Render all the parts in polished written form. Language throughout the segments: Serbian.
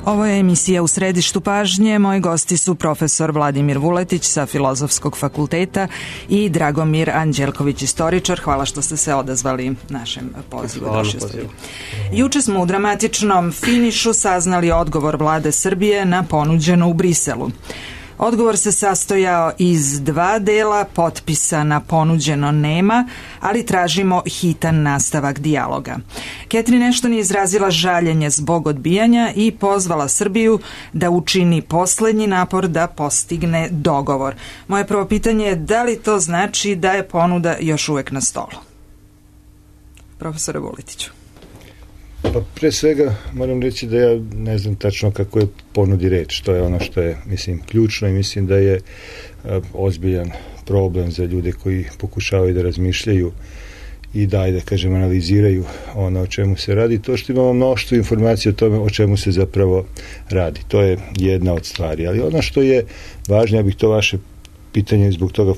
Ovo je emisija U središtu pažnje. Moji gosti su profesor Vladimir Vuletić sa Filozofskog fakulteta i Dragomir Anđelković, istoričar. Hvala što ste se odazvali našem pozivu. Juče smo u dramatičnom finišu saznali odgovor vlade Srbije na ponuđeno u Briselu. Odgovor se sastojao iz 2 dela, potpisa na ponuđeno nema, ali tražimo hitan nastavak dijaloga. Catherine Ashton je izrazila žaljenje zbog odbijanja i pozvala Srbiju da učini poslednji napor da postigne dogovor. Moje prvo pitanje je da li to znači da je ponuda još uvek na stolu? Profesore Vuletiću. Pa pre svega moram reći da ja ne znam tačno kako je ponudi reč. To je ono što je, ključno i mislim da je ozbiljan problem za ljude koji pokušavaju da razmišljaju i da analiziraju ono o čemu se radi. To što imamo mnoštvo informacija o tome o čemu se zapravo radi. To je jedna od stvari. Ali ono što je važno, ja bih to vaše pitanje zbog toga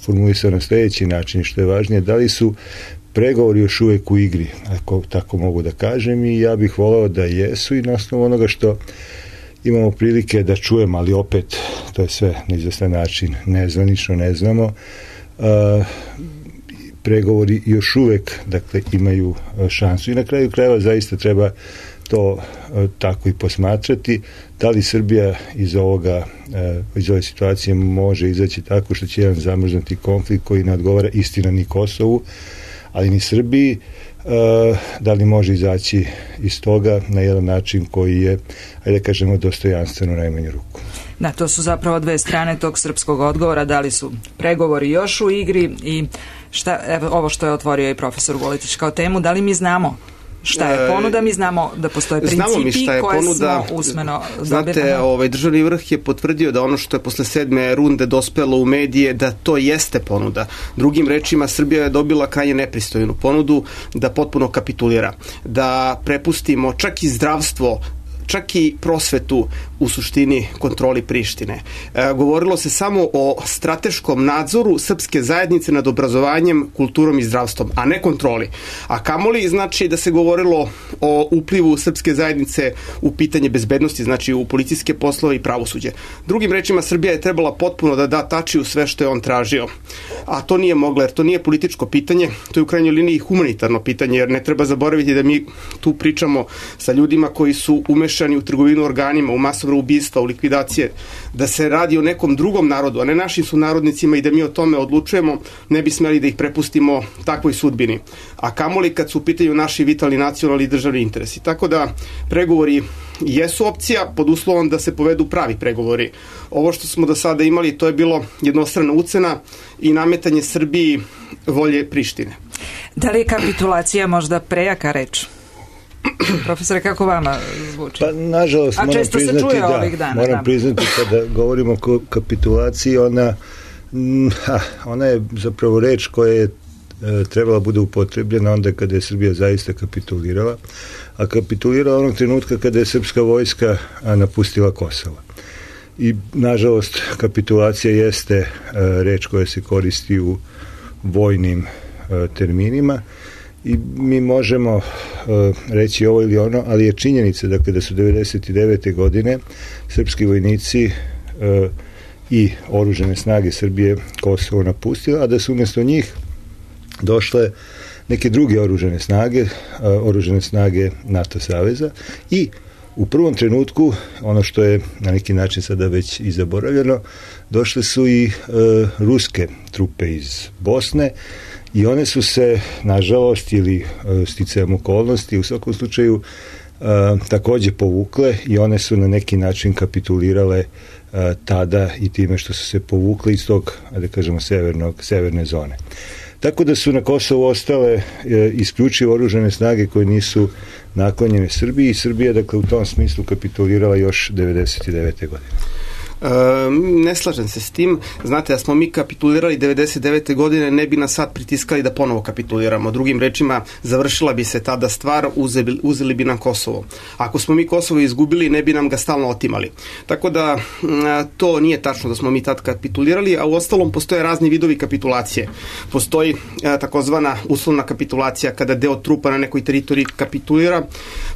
formulisao na sljedeći način, što je važnije, da li su pregovori još uvijek u igri, ako tako mogu da kažem, i ja bih voleo da jesu, i na osnovu onoga što imamo prilike da čujemo, ali opet to je sve na izvestan način nezvanično, ne znamo, pregovori još uvijek imaju šansu i na kraju krajeva zaista treba to tako i posmatrati. Da li Srbija iz ove situacije može izaći tako što će jedan zamrznuti konflikt koji ne odgovara istina ni Kosovu, ali ni Srbiji, da li može izaći iz toga na jedan način koji je, ajde da kažemo, dostojanstveno u najmanju ruku. Da, to su zapravo 2 strane tog srpskog odgovora, da li su pregovori još u igri i ovo što je otvorio i profesor Vuletić kao temu, da li mi znamo šta je ponuda, mi znamo da postoje principi koje smo usmeno dobili. Znate, državni vrh je potvrdio da ono što je posle 7. runde dospelo u medije, da to jeste ponuda. Drugim rečima, Srbija je dobila krajnje nepristojnu ponudu da potpuno kapitulira, da prepustimo čak i zdravstvo, čak i prosvetu u suštini kontroli Prištine. Govorilo se samo o strateškom nadzoru srpske zajednice nad obrazovanjem, kulturom i zdravstvom, a ne kontroli. A kamoli znači da se govorilo o uplivu srpske zajednice u pitanje bezbednosti, znači u policijske poslove i pravosuđe. Drugim rečima, Srbija je trebala potpuno da da Tačiju sve što je on tražio. A to nije mogla, jer to nije političko pitanje, to je u krajnjoj liniji humanitarno pitanje, jer ne treba zaboraviti da mi tu pričamo sa ljudima koji su umešani u trgovinu organima, u masovna ubistva, u likvidacije, da se radi o nekom drugom narodu, a ne našim sunarodnicima, i da mi o tome odlučujemo, ne bi smeli da ih prepustimo takvoj sudbini. A kamoli kad su u pitanju naši vitalni nacionalni i državni interesi. Tako da pregovori jesu opcija pod uslovom da se povedu pravi pregovori. Ovo što smo do sada imali, to je bilo jednostrana ucena i nametanje Srbiji volje Prištine. Da li je kapitulacija možda prejaka reč? Profesore, kako vama zvuči? Pa, nažalost, moram priznati kada govorimo o kapitulaciji, ona je zapravo reč koja je trebala bude upotrebljena onda kada je Srbija zaista kapitulirala, a kapitulirala onog trenutka kada je srpska vojska napustila Kosovo. I, nažalost, kapitulacija jeste reč koja se koristi u vojnim terminima, i mi možemo reći ovo ili ono, ali je činjenica da su 1999. godine srpski vojnici i oružane snage Srbije Kosovo napustile, a da su umjesto njih došle neke druge oružane snage NATO saveza, i u prvom trenutku, ono što je na neki način sada već i zaboravljeno, došle su i ruske trupe iz Bosne, i one su se, nažalost, ili sticajem okolnosti, u svakom slučaju također povukle, i one su na neki način kapitulirale tada i time što su se povukle iz tog, da kažemo, severne zone. Tako da su na Kosovu ostale isključivo oružane snage koje nisu naklonjene Srbiji, i Srbija, dakle, u tom smislu kapitulirala još 1999. godine. Ne slažem se s tim. Znate, da smo mi kapitulirali 99. godine, ne bi nas sad pritiskali da ponovo kapituliramo. Drugim rečima, završila bi se tada stvar, uzeli bi nam Kosovo. Ako smo mi Kosovo izgubili, ne bi nam ga stalno otimali. Tako da to nije tačno da smo mi tad kapitulirali, a u ostalom postoje razni vidovi kapitulacije. Postoji takozvana uslovna kapitulacija kada deo trupa na nekoj teritoriji kapitulira.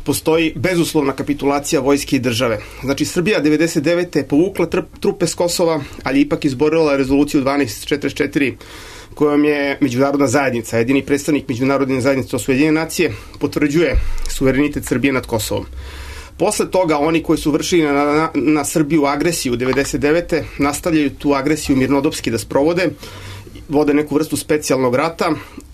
Postoji bezuslovna kapitulacija vojske i države. Znači, Srbija 99. je povukla trupe s Kosova, ali ipak izborila rezoluciju 1244 kojom je međunarodna zajednica, jedini predstavnik međunarodne zajednice, to su Ujedinjene nacije, potvrđuje suverenitet Srbije nad Kosovom. Posle toga oni koji su vršili na Srbiju agresiju 99. nastavljaju tu agresiju mirnodopski da sprovode, vode neku vrstu specijalnog rata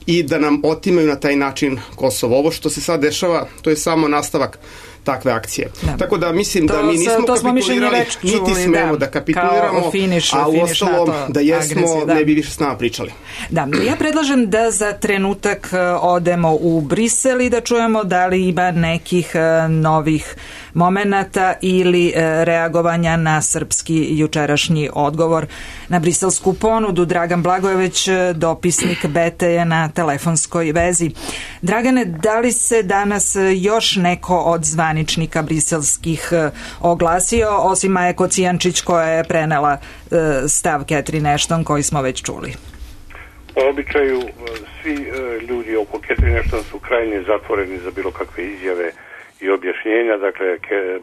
i da nam otimaju na taj način Kosovo. Ovo što se sad dešava, to je samo nastavak takve akcije. Da. Tako da mislim da mi nismo kapitulirali, niti smemo da kapituliramo, a u ostalom da jesmo, agresije, ne bi više s nama pričali. Da, ja predlažem da za trenutak odemo u Brisel i da čujemo da li ima nekih novih momenata ili reagovanja na srpski jučerašnji odgovor na briselsku ponudu. Dragan Blagojević, dopisnik BT, je na telefonskoj vezi. Dragane, da li se danas još neko od zvaničnika briselskih oglasio, osim Maje Kocijančić koja je prenela stav Catherine Ashton koji smo već čuli? Po običaju svi ljudi oko Catherine Ashton su krajnje zatvoreni za bilo kakve izjave i objašnjenja. Dakle,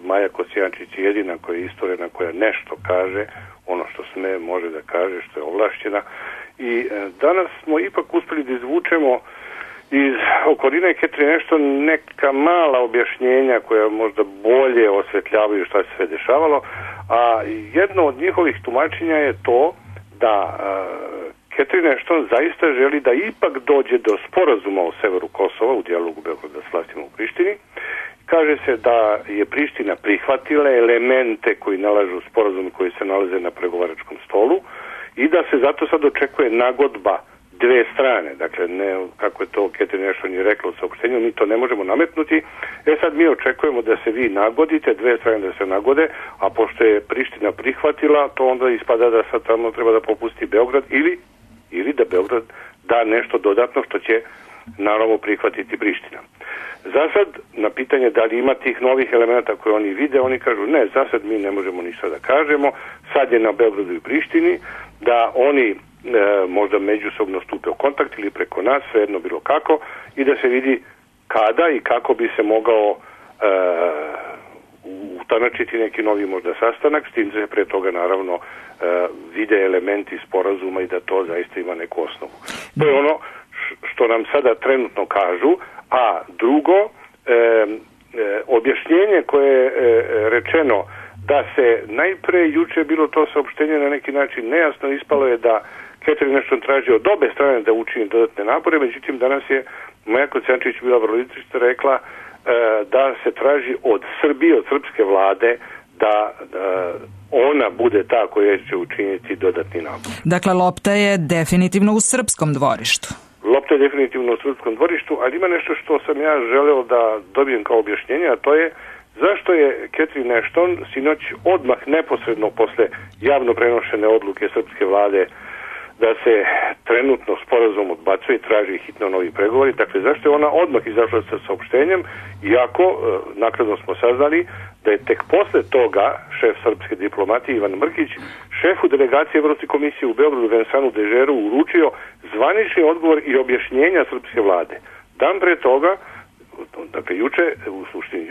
Maja Kocijančić je jedina koja je istorena, koja nešto kaže, ono što sme može da kaže, što je ovlašćena. I danas smo ipak uspeli da izvučemo iz okoline Catherine Ashton neka mala objašnjenja koja možda bolje osvetljavaju šta se sve dešavalo, a jedno od njihovih tumačenja je to da Catherine Ashton zaista želi da ipak dođe do sporazuma o severu Kosova u dijalogu Beograda s vlastima u Prištini. Kaže se da je Priština prihvatila elemente koji nalažu sporazum koji se nalaze na pregovaračkom stolu i da se zato sad očekuje nagodba dve strane. Dakle, ne, kako je to Catherine Ashton je rekla u saopštenju, mi to ne možemo nametnuti. Sad mi očekujemo da se vi nagodite, dve strane da se nagode, a pošto je Priština prihvatila, to onda ispada da sad tamo treba da popusti Beograd ili da Beograd da nešto dodatno što će naravno prihvatiti Priština. Za sad, na pitanje da li ima tih novih elemenata koje oni vide, oni kažu ne, za sad mi ne možemo ništa da kažemo, sad je na Beogradu i Prištini, da oni možda međusobno stupe u kontakt ili preko nas, svejedno bilo kako, i da se vidi kada i kako bi se mogao utanačiti neki novi možda sastanak, s tim da se pre toga naravno vide elementi sporazuma i da to zaista ima neku osnovu. To je ono što nam sada trenutno kažu, a drugo, objašnjenje koje je rečeno da se najpre juče bilo to saopštenje na neki način nejasno, ispalo je da Catherine Ashton traži od obe strane da učini dodatne napore, međutim danas je Maja Kocijančić bila vrlo izričito rekla da se traži od Srbije, od srpske vlade da ona bude ta koja će učiniti dodatni napor. Dakle, lopta je definitivno u srpskom dvorištu. Lopta je definitivno u srpskom dvorištu, ali ima nešto što sam ja želeo da dobijem kao objašnjenje, a to je zašto je Catherine Ashton sinoć odmah neposredno posle javno prenošene odluke srpske vlade da se trenutno sporazum odbacuje i traži hitno novi pregovori. Dakle, zašto je ona odmah izašla sa saopštenjem, iako naknadno smo saznali da je tek posle toga šef srpske diplomatije Ivan Mrkić šefu delegacije Evropske komisije u Beogradu Vincentu Dežeru uručio zvanični odgovor i objašnjenja srpske vlade. Dan pre toga, dakle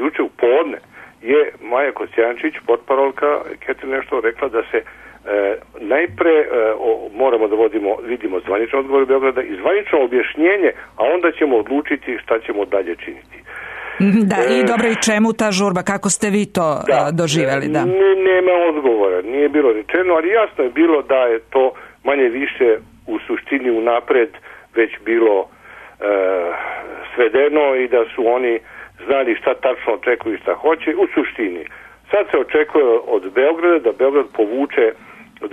juče u podne, je Maja Kocijančić, potparolka Catherine Ashton, rekla da se najpre moramo da vidimo zvaničan odgovor Beograda i zvanično objašnjenje, a onda ćemo odlučiti šta ćemo dalje činiti. Da, i dobro, i čemu ta žurba? Kako ste vi to doživeli? Da. Nema odgovora, nije bilo rečeno, ali jasno je bilo da je to manje više u suštini unapred već bilo svedeno i da su oni znali šta tačno očekuju i šta hoće u suštini. Sad se očekuje od Beograda da Beograd povuče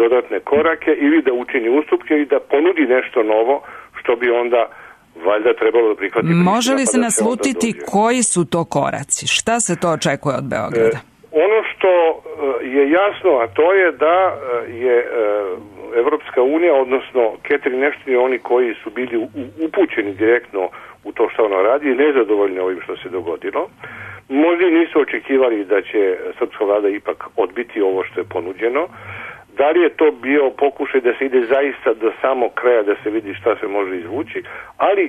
dodatne korake ili da učini ustupke ili da ponudi nešto novo što bi onda valjda trebalo da prihvati. Može li se naslutiti koji su to koraci? Šta se to očekuje od Beograda? Ono što je jasno, a to je da je Evropska unija, odnosno Catherine Ashton i oni koji su bili upućeni direktno u to što ona radi i nezadovoljni ovim što se dogodilo. Možda nisu očekivali da će srpska vlada ipak odbiti ovo što je ponuđeno. Da li je to bio pokušaj da se ide zaista do samog kraja, da se vidi šta se može izvući, ali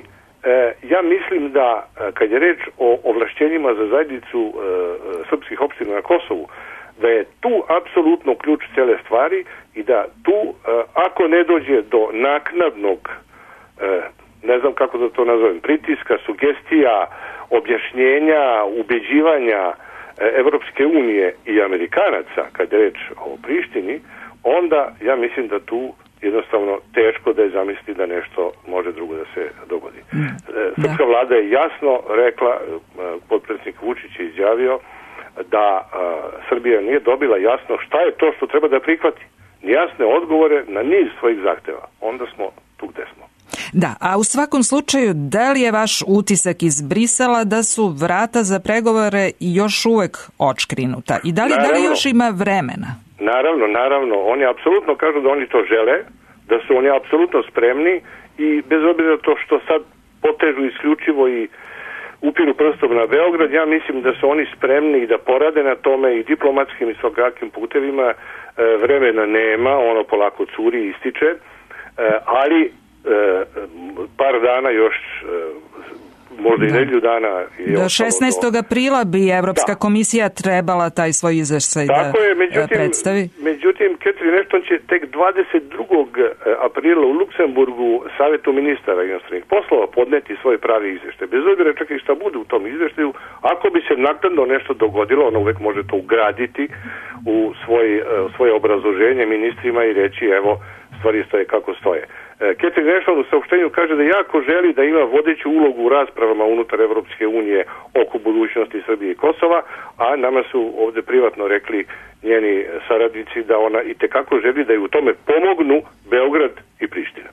ja mislim da kad je reč o ovlašćenjima za zajednicu srpskih opština na Kosovu, da je tu apsolutno ključ cele stvari i da tu, ako ne dođe do naknadnog, ne znam kako da to nazovem, pritiska, sugestija, objašnjenja, ubeđivanja Evropske unije i Amerikanaca, kad je reč o Prištini, onda ja mislim da tu jednostavno teško da je zamisli da nešto može drugo da se dogodi. Srpska vlada je jasno rekla, potpredsjednik Vučić je izjavio da Srbija nije dobila jasno šta je to što treba da prihvati. Jasne odgovore na niz svojih zahteva. Onda smo tu gde smo. Da, a u svakom slučaju, da li je vaš utisak iz Brisela da su vrata za pregovore još uvek očkrinuta? I da li još ima vremena? Naravno. Oni apsolutno kažu da oni to žele, da su oni apsolutno spremni i bez obzira to što sad potežu isključivo i upiru prstom na Beograd, ja mislim da su oni spremni i da porade na tome i diplomatskim i svakakim putevima. Vremena nema, ono polako curi i ističe, ali par dana još, možda i nedelju dana. Do 16. aprila bi Evropska komisija trebala taj svoj izveštaj da predstavi. Međutim, Catherine Ashton će tek 22. aprila u Luksemburgu Savetu ministara inostranih poslova podneti svoj pravi izveštaj. Bez obzira čak i šta bude u tom izveštaju, ako bi se naknadno nešto dogodilo, ona uvek može to ugraditi u svoje obrazloženje ministrima i reći evo, stvari stoje kako stoje. Catherine Ashton u saopštenju kaže da jako želi da ima vodeću ulogu u raspravama unutar Evropske unije oko budućnosti Srbije i Kosova, a nama su ovde privatno rekli njeni saradnici da ona itekako želi da ju u tome pomognu Beograd i Priština.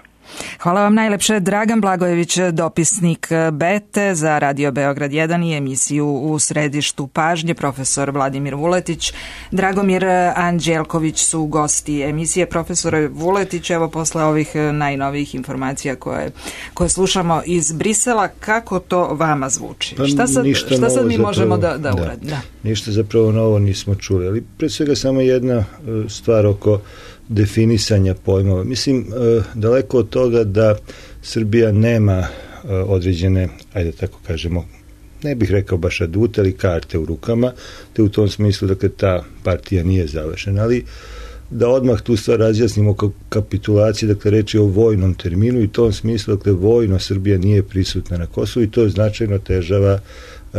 Hvala vam najlepše. Dragan Blagojević, dopisnik Bete za Radio Beograd 1 i emisiju U središtu pažnje, profesor Vladimir Vuletić, Dragomir Anđelković su gosti emisije. Profesore Vuletić, evo posle ovih najnovijih informacija koje slušamo iz Brisela, kako to vama zvuči? Šta sad mi možemo da uradimo? Ništa zapravo novo nismo čuli, ali pre svega samo jedna stvar oko definisanja pojmova. Mislim, daleko od toga da Srbija nema određene, ajde tako kažemo, ne bih rekao baš adute, ali karte u rukama, te u tom smislu, dakle, ta partija nije završena, ali da odmah tu stvar razjasnimo kao kapitulaciji, dakle, reći o vojnom terminu i u tom smislu, dakle, vojno Srbija nije prisutna na Kosovu i to značajno težava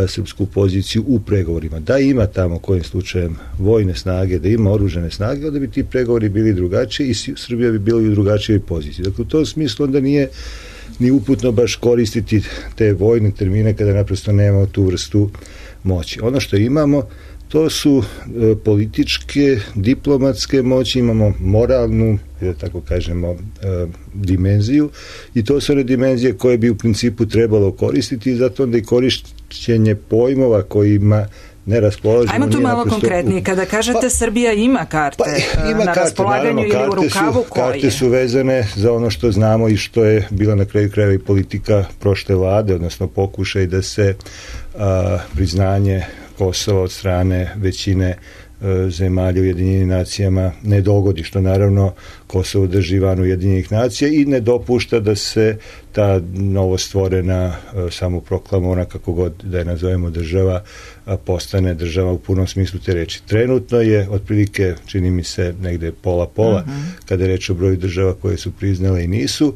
srpsku poziciju u pregovorima. Da ima tamo kojim slučajem vojne snage, da ima oružane snage, onda bi ti pregovori bili drugačiji i Srbija bi bila u drugačijoj poziciji. Dakle, u tom smislu onda nije ni uputno baš koristiti te vojne termine kada naprosto nemamo tu vrstu moći. Ono što imamo, to su političke, diplomatske moći, imamo moralnu, da tako kažemo, dimenziju i to su one dimenzije koje bi u principu trebalo koristiti i zato onda i korišćenje pojmova kojima ne raspolažemo. Ajmo tu malo konkretnije. Kada kažete Srbija ima karte na raspolaganju ili u rukavu, koje? Karte su vezane za ono što znamo i što je bila na kraju krajeva i politika prošle vlade, odnosno pokušaj da se priznanje Kosova od strane većine zemalja Ujedinjenim nacijama ne dogodi, što naravno Kosovo drži van Ujedinjenih nacija i ne dopušta da se ta novostvorena, samoproklamovana, kako god da je nazovemo, država postane država u punom smislu te reči. Trenutno je otprilike, čini mi se, negde pola-pola, kada je reč o broju država koje su priznale i nisu.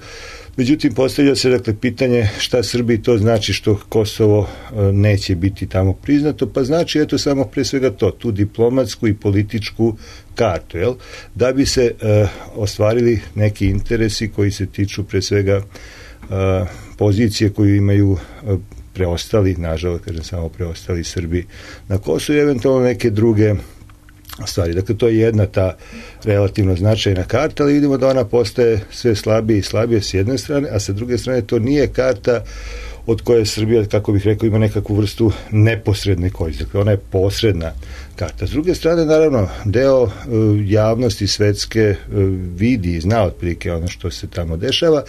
Međutim, postavlja se, dakle, pitanje šta Srbiji to znači što Kosovo neće biti tamo priznato, pa znači, eto, samo pre svega to, tu diplomatsku i političku kartu, jel? Da bi se ostvarili neki interesi koji se tiču pre svega pozicije koju imaju preostali, nažalost, kažem samo preostali Srbi na Kosovu i eventualno neke druge stvari. Dakle, to je jedna ta relativno značajna karta, ali vidimo da ona postaje sve slabije i slabije s jedne strane, a sa druge strane to nije karta od koje Srbija, kako bih rekao, ima nekakvu vrstu neposredne koristi. Dakle, ona je posredna karta. S druge strane, naravno, deo javnosti svetske vidi i zna otprilike ono što se tamo dešava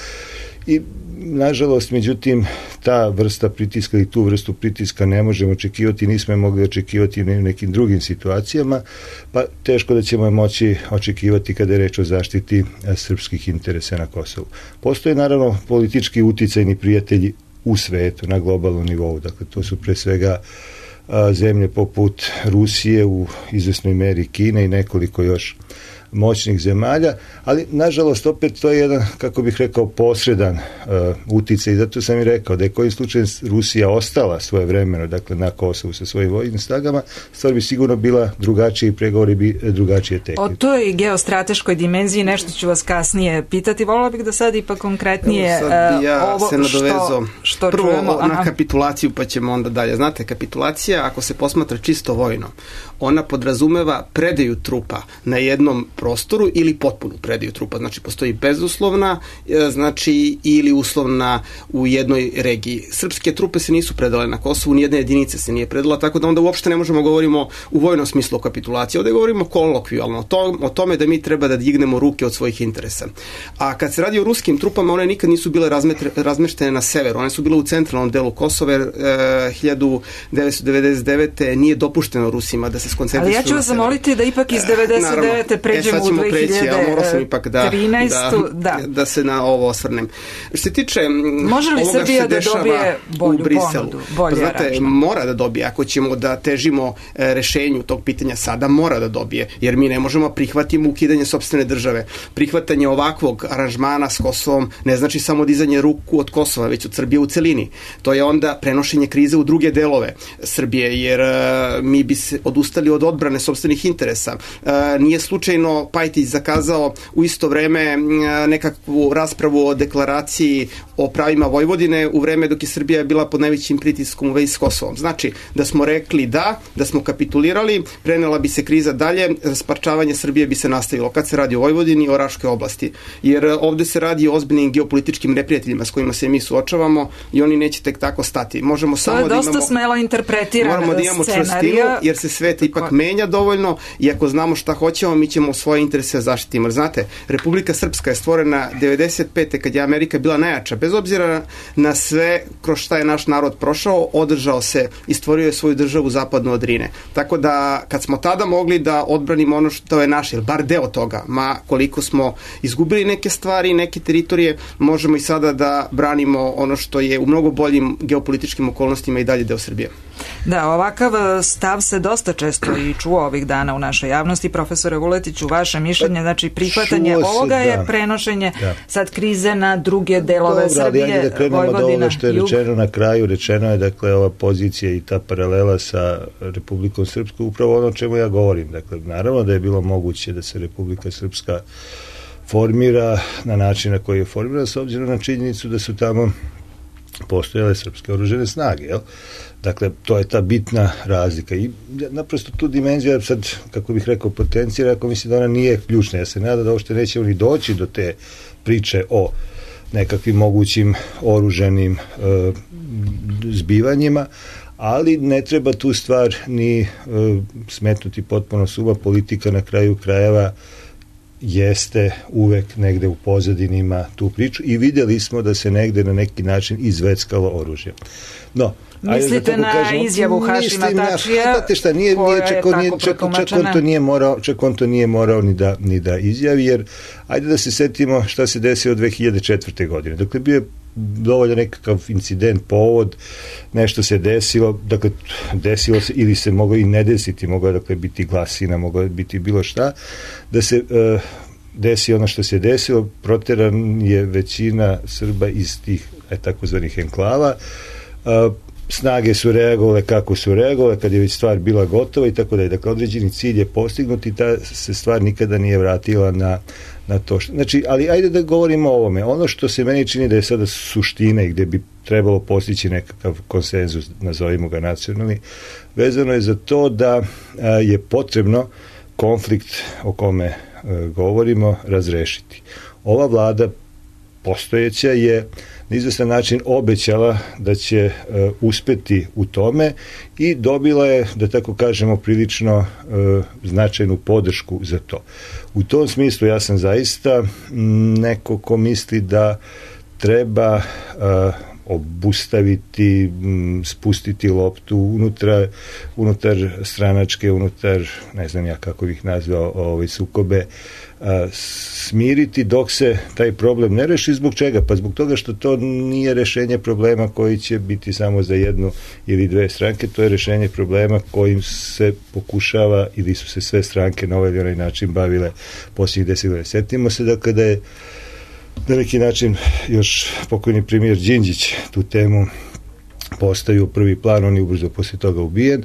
i nažalost, međutim, ta vrsta pritiska i tu vrstu pritiska ne možemo očekivati, nismo je mogli očekivati u nekim drugim situacijama, pa teško da ćemo je moći očekivati kada je reč o zaštiti srpskih interesa na Kosovu. Postoje naravno politički uticajni prijatelji u svetu, na globalnom nivou, dakle to su pre svega zemlje poput Rusije, u izvesnoj meri Kine i nekoliko još moćnih zemalja, ali nažalost opet to je jedan, kako bih rekao, posredan uticaj i zato sam i rekao da je kojim slučajem Rusija ostala svojevremeno, dakle na Kosovu sa svojim vojnim snagama, stvar bi sigurno bila drugačija i pregovori bi drugačije tekli. O toj geostrateškoj dimenziji nešto ću vas kasnije pitati, volila bih da sad ipak konkretnije ovo se nadovezao što prvo čujemo. Na kapitulaciju pa ćemo onda dalje. Znate, kapitulacija, ako se posmatra čisto vojno, ona podrazumeva predaju trupa na jednom prostoru ili potpunu predaju trupa. Znači, postoji bezuslovna, znači, ili uslovna u jednoj regiji. Srpske trupe se nisu predale na Kosovu, nijedna jedinica se nije predala, tako da onda uopšte ne možemo govorimo u vojnom smislu o kapitulaciji. Ovdje govorimo kolokvijalno o tome da mi treba da dignemo ruke od svojih interesa. A kad se radi o ruskim trupama, one nikad nisu bile razmeštene na severu. One su bile u centralnom delu Kosova, 1999. nije dopušteno Rusima da se skoncentrisuju. Ali ja ću vas zamoliti da ipak iz 99. pređemo u 2013. Da se na ovo osvrnem. Što se tiče može li Srbija da dobije bolju ponudu? Znate, mora da dobije. Ako ćemo da težimo rešenju tog pitanja sada, mora da dobije. Jer mi ne možemo prihvatiti ukidanje sopstvene države. Prihvatanje ovakvog aranžmana s Kosovom ne znači samo dizanje ruku od Kosova, već od Srbije u celini. To je onda prenošenje krize u druge delove Srbije, jer mi bi se odustali od odbrane sopstvenih interesa. Nije slučajno Pajtić zakazao u isto vreme nekakvu raspravu o deklaraciji o pravima Vojvodine u vreme dok je Srbija bila pod najvećim pritiskom u vezi s Kosovom. Znači, da smo rekli da smo kapitulirali, prenela bi se kriza dalje, rasparčavanje Srbije bi se nastavilo kad se radi o Vojvodini i o Raškoj oblasti. Jer ovde se radi o ozbiljnim geopolitičkim neprijateljima s kojima se mi suočavamo i oni neće tek tako stati. Možemo samo to je dosta smelo interpretirana moramo da imamo čvrstinu, jer se svet ipak menja dovoljno i ako znamo šta hoćemo, mi ćemo svoje interese zaštititi. Znate, Republika Srpska je stvorena 95. kad je Amerika bila najjača. Bez obzira na sve kroz šta je naš narod prošao, održao se i stvorio je svoju državu zapadno od Drine. Tako da, kad smo tada mogli da odbranimo ono što je naše, ili bar deo toga, ma koliko smo izgubili neke stvari, neke teritorije, možemo i sada da branimo ono što je u mnogo boljim geopolitičkim okolnostima i dalje deo Srbije. Da, ovakav stav se dosta često i čuo ovih dana u našoj javnosti. Profesore Vuletiću, vaše mišljenje, znači prihvatanje ovoga je prenošenje sad krize na druge delove Srbije, ali da krenemo od ovoga što je rečeno na kraju. Rečeno je, dakle, ova pozicija i ta paralela sa Republikom Srpskom, upravo ono o čemu ja govorim. Dakle, naravno da je bilo moguće da se Republika Srpska formira na način na koji je formirana, s obzirom na činjenicu da su tamo postojale srpske oružane snage, jel? Dakle, to je ta bitna razlika i naprosto tu dimenzija sad, kako bih rekao, potencijera, ako mislim da ona nije ključna. Ja se nadam da uopšte nećemo ni doći do te priče o nekakvim mogućim oružanim zbivanjima, ali ne treba tu stvar ni smetnuti potpuno suma. Politika na kraju krajeva jeste uvek negde u pozadinima tu priču i vidjeli smo da se negde na neki način izveckalo oružje. No, mislite na izjavu Hašima Tačija, čak on to nije morao ni da izjavi, jer ajde da se setimo šta se desilo 2004. godine. Dakle, bio je dovoljno nekakav incident, povod, nešto se desilo, dakle, desilo se ili se moglo i ne desiti, moglo je, dakle, biti glasina, moglo je biti bilo šta, da se desi ono što se desilo, proteran je većina Srba iz tih takozvanih enklava, snage su reagovale kako su reagovale, kad je već stvar bila gotova i tako da je. Dakle, određeni cilj je postignut i ta se stvar nikada nije vratila na to što. Znači, ali ajde da govorimo o ovome. Ono što se meni čini da je sada suština i gde bi trebalo postići nekakav konsenzus, nazovimo ga nacionalni, vezano je za to da je potrebno konflikt o kome govorimo razrešiti. Ova vlada postojeća je na izvestan način obećala da će uspeti u tome i dobila je, da tako kažemo, prilično značajnu podršku za to. U tom smislu ja sam zaista neko ko misli da treba obustaviti, spustiti loptu unutar stranačke, unutar, ne znam ja kako bih nazvao, sukobe, smiriti dok se taj problem ne reši. Zbog čega? Pa zbog toga što to nije rešenje problema koji će biti samo za jednu ili dve stranke, to je rešenje problema kojim se pokušava ili su se sve stranke na ovaj ili onaj način bavile posljednjih 10 godina. Sjetimo se da kada je na neki način još pokojni premijer Đinđić tu temu postavio u prvi plan, on je ubrzo posle toga ubijen.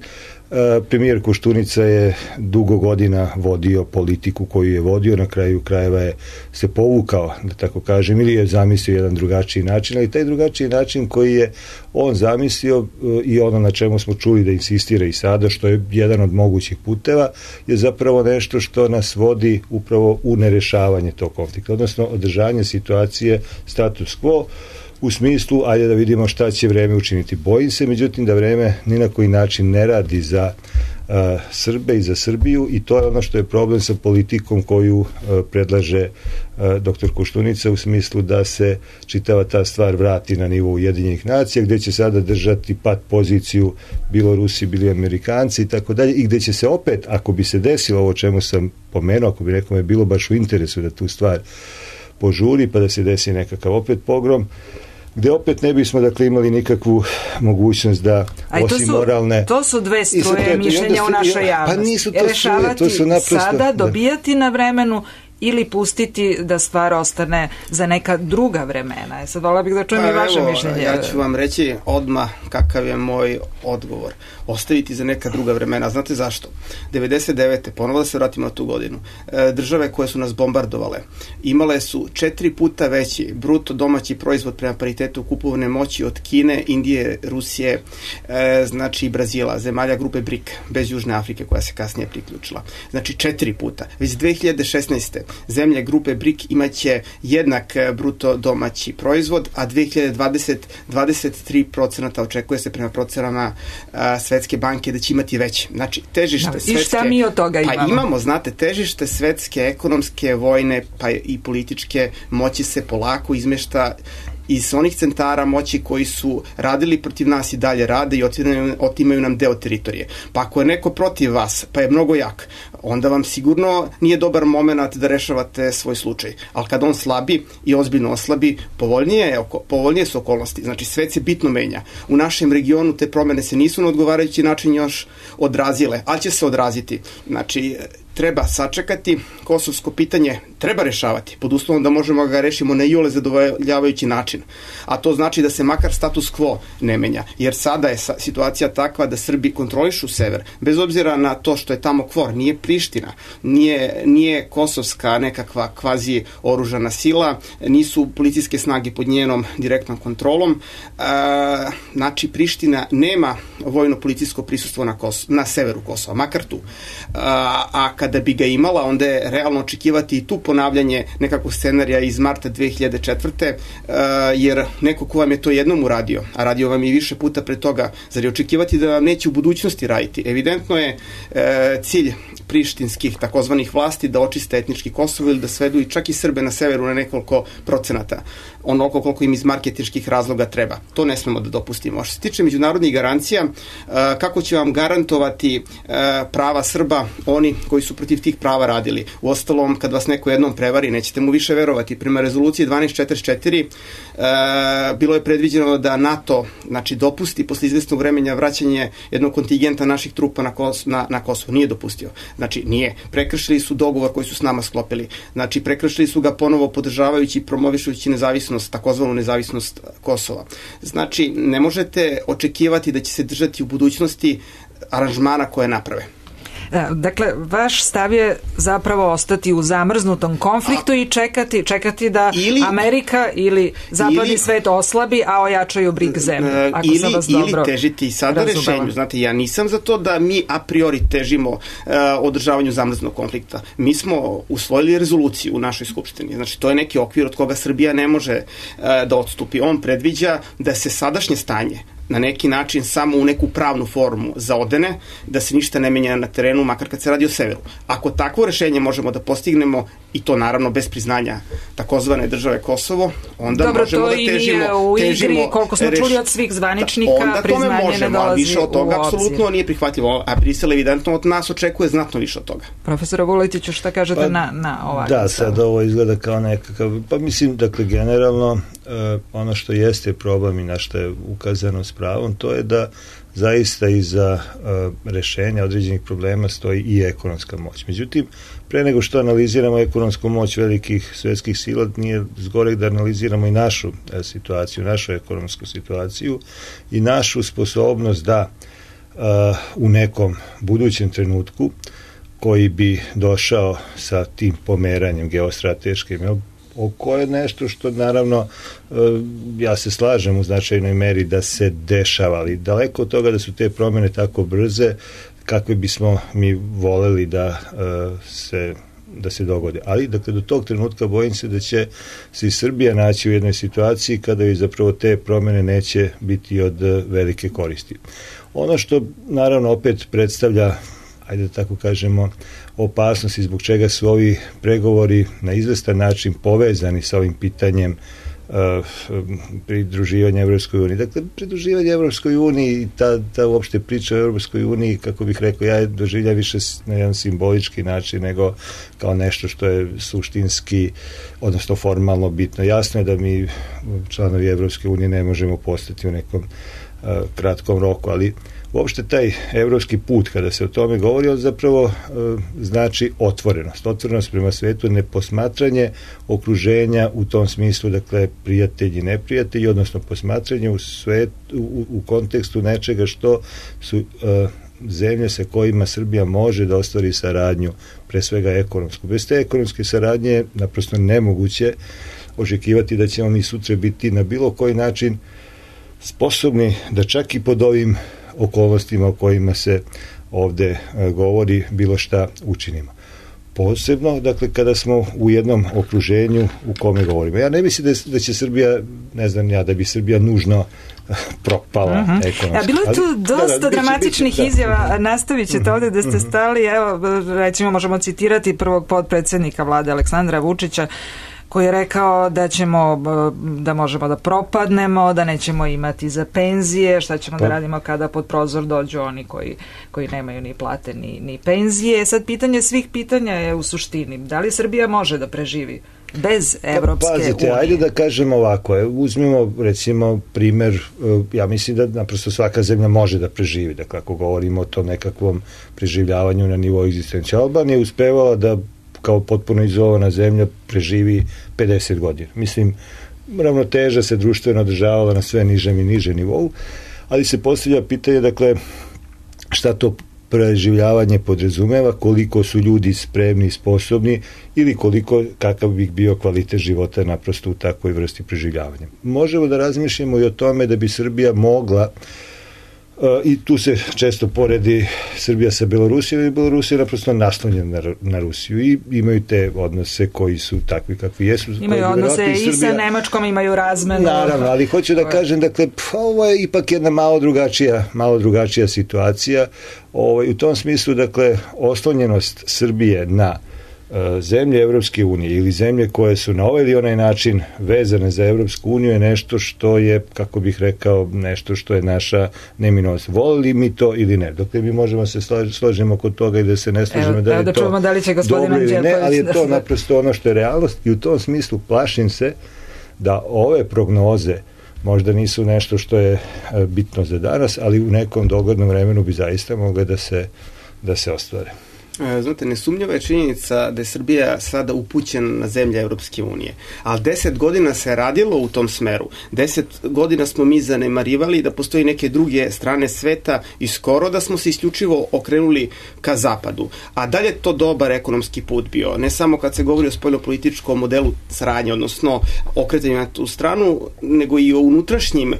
Premijer Koštunica je dugo godina vodio politiku koju je vodio, na kraju krajeva je se povukao, da tako kažem, ili je zamislio jedan drugačiji način, ali taj drugačiji način koji je on zamislio i ono na čemu smo čuli da insistira i sada, što je jedan od mogućih puteva, je zapravo nešto što nas vodi upravo u nerešavanje tog konflikta, odnosno održanje situacije status quo, u smislu, ajde da vidimo šta će vreme učiniti. Bojim se, međutim, da vreme ni na koji način ne radi za Srbe i za Srbiju i to je ono što je problem sa politikom koju predlaže dr. Koštunica u smislu da se čitava ta stvar vrati na nivou Ujedinjenih nacija, gde će sada držati pat poziciju bilo Rusi, bili Amerikanci i tako dalje, i gde će se opet, ako bi se desilo ovo čemu sam pomenuo, ako bi nekome bilo baš u interesu da tu stvar požuri pa da se desi nekakav opet pogrom, gde opet ne bismo imali nikakvu mogućnost da osim moralne... To su dve struje mišljenja u našoj javnosti. Pa nisu to struje, to su naprosto... Sada dobijati na vremenu ili pustiti da stvar ostane za neka druga vremena. Sad vola bih da čujem i vaše mišljenje. Ja ću vam reći odmah kakav je moj odgovor. Ostaviti za neka druga vremena. Znate zašto? 99. ponovo da se vratimo na tu godinu. Države koje su nas bombardovale imale su 4 puta veći bruto domaći proizvod prema paritetu kupovne moći od Kine, Indije, Rusije, znači Brazila, zemalja grupe BRIC, bez Južne Afrike koja se kasnije priključila. Znači 4 puta. Već 2016. zemlje grupe BRIC imaće jednak bruto domaći proizvod, a 2020 23% očekuje se prema procenama Svetske banke da će imati veće. Znači, težište svetske... I šta mi od toga imamo? Pa imamo, znate, težište svetske, ekonomske, vojne, pa i političke moći se polako izmešta iz onih centara moći koji su radili protiv nas i dalje rade i otimaju nam deo teritorije. Pa ako je neko protiv vas, pa je mnogo jak, onda vam sigurno nije dobar moment da rešavate svoj slučaj. Ali kad on slabi i ozbiljno oslabi, povoljnije su okolnosti. Znači, svet se bitno menja. U našem regionu te promene se nisu na odgovarajući način još odrazile, ali će se odraziti. Znači, treba sačekati, kosovsko pitanje treba rešavati, pod uslovom da možemo ga rešimo na iole zadovoljavajući način. A to znači da se makar status quo ne menja, jer sada je situacija takva da Srbi kontrolišu sever, bez obzira na to što je tamo KFOR, nije Priština, nije kosovska nekakva kvazi oružana sila, nisu policijske snage pod njenom direktnom kontrolom, znači Priština nema vojno-policijsko prisustvo na severu Kosova, makar tu. A kada bi ga imala, onda je realno očekivati i tu ponavljanje nekakvog scenarija iz marta 2004. Jer neko ko vam je to jednom uradio, a radio vam i više puta pre toga, zar je očekivati da vam neće u budućnosti raditi? Evidentno je cilj prištinskih takozvanih vlasti da očiste etnički Kosovo ili da svedu i čak i Srbe na severu na nekoliko procenata, onoliko koliko im iz marketinških razloga treba. To ne smemo da dopustimo. Što se tiče međunarodnih garancija, kako će vam garantovati prava Srba oni koji su protiv tih prava radili? Uostalom, kad vas neko jednom prevari, nećete mu više verovati. Prema rezoluciji 1244 bilo je predviđeno da NATO dopusti posle izvesnog vremena vraćanje jednog kontingenta naših trupa na Kosovo. Nije dopustio. Znači, nije. Prekršili su dogovor koji su s nama sklopili. Znači, prekršili su ga ponovo podržavajući i promovišujući nezavisnost, takozvanu nezavisnost Kosova. Znači, ne možete očekivati da će se držati u budućnosti aranžmana koje naprave. Dakle, vaš stav je zapravo ostati u zamrznutom konfliktu i čekati da Amerika ili zapadni svet oslabi, a ojačaju brig zemlje. Ili težiti sada rešenju. Znate, ja nisam za to da mi a priori težimo održavanju zamrznog konflikta. Mi smo usvojili rezoluciju u našoj skupštini. Znači, to je neki okvir od koga Srbija ne može da odstupi. On predviđa da se sadašnje stanje na neki način samo u neku pravnu formu zaodene, da se ništa ne menja na terenu, makar kad se radi o severu. Ako takvo rešenje možemo da postignemo, i to naravno bez priznanja takozvane države Kosovo, onda možemo da težimo... Dobro, to i nije u igri, koliko smo čuli od svih zvaničnika, priznanje ne dolazi više od toga, apsolutno nije prihvatljivo, a Brisel evidentno od nas očekuje znatno više od toga. Profesora Vuletiću, šta kažete na ovakav? Da, sad ovo izgleda kao nekakav, pa mislim, dakle, generalno, ono što jeste problem i na što je ukazano s pravom, to je da zaista iza rešenja određenih problema stoji i ekonomska moć. Međutim, pre nego što analiziramo ekonomsku moć velikih svetskih sila, nije zgorek da analiziramo i našu situaciju, našu ekonomsku situaciju i našu sposobnost da u nekom budućem trenutku koji bi došao sa tim pomeranjem geostrateškim, oko je nešto što naravno ja se slažem u značajnoj meri da se dešava, ali daleko od toga da su te promjene tako brze kakve bismo mi voleli da se dogode. Ali, dakle, do tog trenutka bojim se da će se i Srbija naći u jednoj situaciji kada i zapravo te promjene neće biti od velike koristi. Ono što naravno opet predstavlja, ajde da tako kažemo, opasnosti zbog čega su ovi pregovori na izvestan način povezani sa ovim pitanjem pridruživanja Evropskoj uniji. Dakle, pridruživanje Evropskoj uniji i ta uopšte priča o Evropskoj uniji, kako bih rekao, ja je doživljam više na jedan simbolički način nego kao nešto što je suštinski, odnosno formalno bitno. Jasno je da mi članovi Evropske unije ne možemo postati u nekom kratkom roku, ali uopšte taj evropski put, kada se o tome govori, on zapravo znači otvorenost prema svetu, neposmatranje okruženja u tom smislu, dakle, prijatelji, neprijatelji, odnosno posmatranje u kontekstu nečega što su zemlje sa kojima Srbija može da ostvari saradnju, pre svega ekonomsku. Bez te ekonomske saradnje je naprosto nemoguće očekivati da ćemo mi sutra biti na bilo koji način sposobni da čak i pod ovim okolnostima o kojima se ovde govori bilo šta učinimo. Posebno, dakle, kada smo u jednom okruženju u kome govorimo. Ja ne mislim da će Srbija, ne znam ja, da bi Srbija nužno propala ekonomski. Bilo je tu dosta dramatičnih izjava, nastavit ćete ovde da ste stali, evo, recimo možemo citirati prvog potpredsednika vlade Aleksandra Vučića, koji je rekao da možemo da propadnemo, da nećemo imati za penzije, šta ćemo da radimo kada pod prozor dođu oni koji nemaju ni plate ni penzije. Sad pitanje svih pitanja je u suštini, da li Srbija može da preživi bez Evropske unije? Pazite, ajde da kažemo ovako, uzmimo recimo primer, ja mislim da naprosto svaka zemlja može da preživi, dakle ako govorimo o tom nekakvom preživljavanju na nivou egzistencije. Albanija je uspevala da kao potpuno izolovana zemlja preživi 50 godina. Mislim, ravnoteža se društveno održavala na sve nižem i nižem nivou, ali se postavlja pitanje, dakle, šta to preživljavanje podrazumeva, koliko su ljudi spremni i sposobni ili kakav bi bio kvalitet života naprosto u takvoj vrsti preživljavanja. Možemo da razmišljamo i o tome da bi Srbija mogla, i tu se često poredi Srbija sa Belorusijom, i Belorusija je naprosto naslonjena na Rusiju i imaju te odnose koji su takvi kakvi jesu. Imaju odnose i sa Nemačkom, imaju razmenu. Naravno, ali hoću da kažem, dakle, ovo je ipak jedna malo drugačija situacija. U tom smislu, dakle, oslonjenost Srbije na zemlje Evropske unije ili zemlje koje su na ovaj ili onaj način vezane za Evropsku uniju je nešto što je, kako bih rekao, nešto što je naša neminovnost. Volili mi to ili ne? Dokle mi možemo se složimo kod toga i da se ne složimo da je to dobro ili ne, ali je to naprosto ono što je realnost i u tom smislu plašim se da ove prognoze možda nisu nešto što je bitno za danas, ali u nekom dogodnom vremenu bi zaista mogle da se ostvare. Znate, nesumnjiva je činjenica da je Srbija sada upućena na zemlje Evropske unije, ali 10 godina se radilo u tom smeru. 10 godina smo mi zanemarivali da postoji neke druge strane sveta i skoro da smo se isključivo okrenuli ka zapadu. A dalje to dobar ekonomski put bio, ne samo kad se govori o spoljnopolitičkom modelu saradnje, odnosno okretanju na tu stranu, nego i o unutrašnjim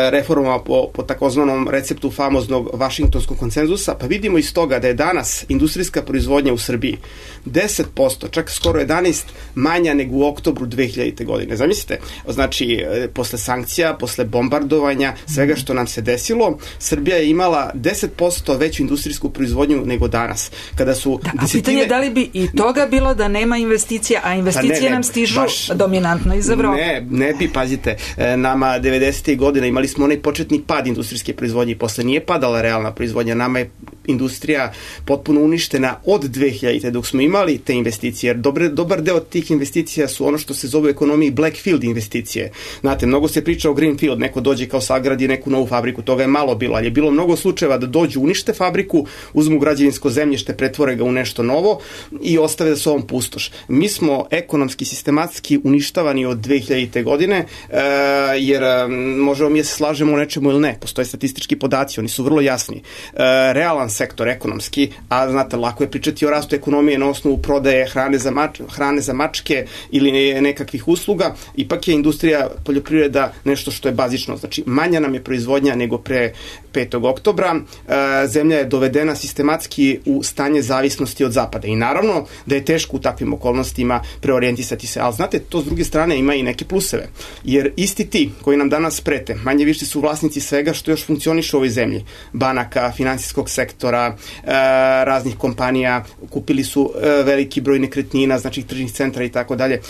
reformama po takozvanom receptu famoznog Vašingtonskog konsenzusa, pa vidimo iz toga da je danas industrijska proizvodnja u Srbiji 10%, čak skoro 11% manja nego u oktobru 2000. godine. Zamislite, znači, posle sankcija, posle bombardovanja, svega što nam se desilo, Srbija je imala 10% veću industrijsku proizvodnju nego danas. Kada su a pitanje je da li bi i toga bilo da nema investicija, a investicije nam stižu dominantno iz Evrope. Ne bi, pazite, nama 90. godina imali smo onaj početni pad industrijske proizvodnje i posle nije padala realna proizvodnja, nama je industrija potpuno uništena od 2000. dok smo imali te investicije, jer dobar deo tih investicija su ono što se zove u ekonomiji Blackfield investicije. Znate, mnogo se priča o Greenfield, neko dođe kao sagradi neku novu fabriku, toga je malo bilo, ali je bilo mnogo slučajeva da dođu, unište fabriku, uzmu građevinsko zemljište, pretvore ga u nešto novo i ostave da se ovom pustoš. Mi smo ekonomski, sistematski uništavani od 2000. godine, jer možemo mi se slažemo u nečemu ili ne, postoje statistički podaci, oni su vrlo jasni. Realan sektor ekonomski, a znate, lako je pričati o rastu ekonomije na osnovu prodaje hrane za mačke ili nekakvih usluga, ipak je industrija poljoprivreda nešto što je bazično, znači manja nam je proizvodnja nego pre 5. oktobra, zemlja je dovedena sistematski u stanje zavisnosti od zapada i naravno da je teško u takvim okolnostima preorijentisati se, ali znate, to s druge strane ima i neke pluseve, jer isti ti koji nam danas prete, manje više su vlasnici svega što još funkcioniše u ovoj zemlji, banaka, finansijskog sektora, raznih kompanija, kupili su veliki broj nekretnina, znači tržnih centra i tako dalje.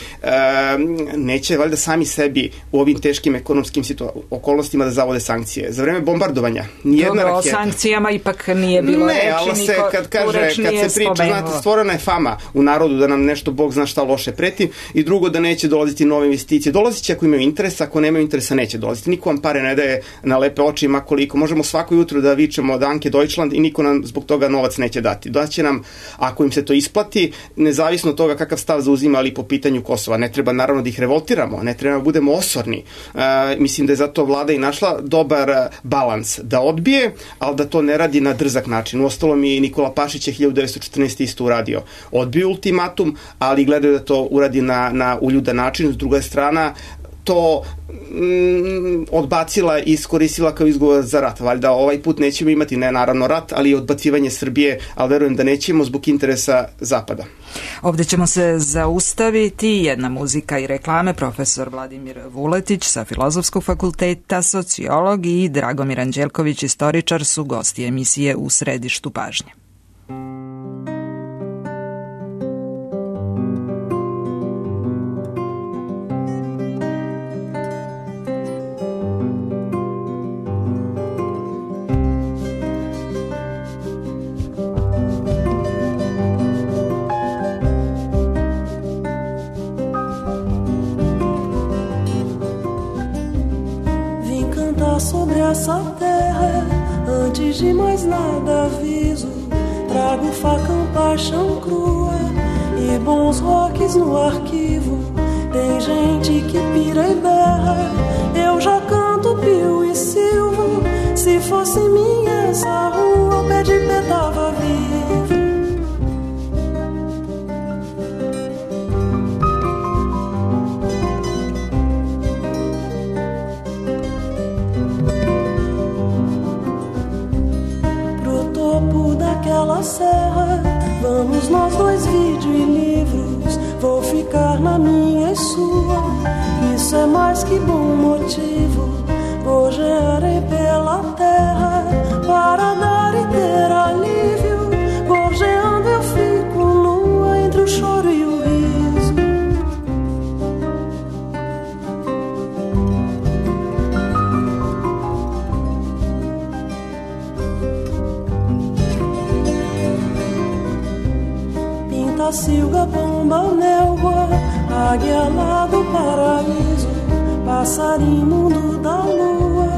Neće valjda sami sebi u ovim teškim ekonomskim okolnostima da zavode sankcije. Za vreme bombardovanja nijedna raketa. O sankcijama ipak nije bilo reči. Ne, ali kad se priča, znate, stvorena je fama u narodu da nam nešto Bog zna šta loše preti i drugo da neće dolaziti nove investicije. Dolazit će ako imaju interesa, ako nemaju interesa neće dolaziti. Niko vam pare ne daje na lepe oči, ima koliko. Možemo svako jutro da vičemo Danke Deutschland i niko nam zbog toga novac neće dati. Daće nam, ako im se to isplati, nezavisno od toga kakav stav zauzimali po pitanju Kosova. Ne treba naravno da ih revoltiramo, ne treba da budemo osorni. Mislim da je zato vlada i našla dobar balans da odbije, ali da to ne radi na drzak način. Uostalom i Nikola Pašić je 1914. isto uradio. Odbio ultimatum, ali gledaju da to uradi na uljudan način. S druga strana, to odbacila i iskoristila kao izgovor za rat. Valjda ovaj put nećemo imati, ne naravno rat, ali i odbacivanje Srbije, ali verujem da nećemo zbog interesa Zapada. Ovde ćemo se zaustaviti, jedna muzika i reklame. Profesor Vladimir Vuletić sa Filozofskog fakulteta, sociolog, i Dragomir Anđelković, istoričar, su gosti emisije U središtu pažnje. Sobre essa terra, antes de mais nada aviso, trago facão, paixão crua e bons rocks no arquivo. Tem gente que pira e berra, eu já canto pio e silvo. Se fosse minha essa rua, o pé de pé tava vivo. Daquela serra, vamos nós dois, vídeo e livros. Vou ficar na minha e sua, isso é mais que bom motivo. Gorjearei pela terra para dar e ter alívio. Gorjeando eu fico nua entre o choro e o riso. Silga, pomba, nelva, águia lá do paraíso, passarinho mundo da lua,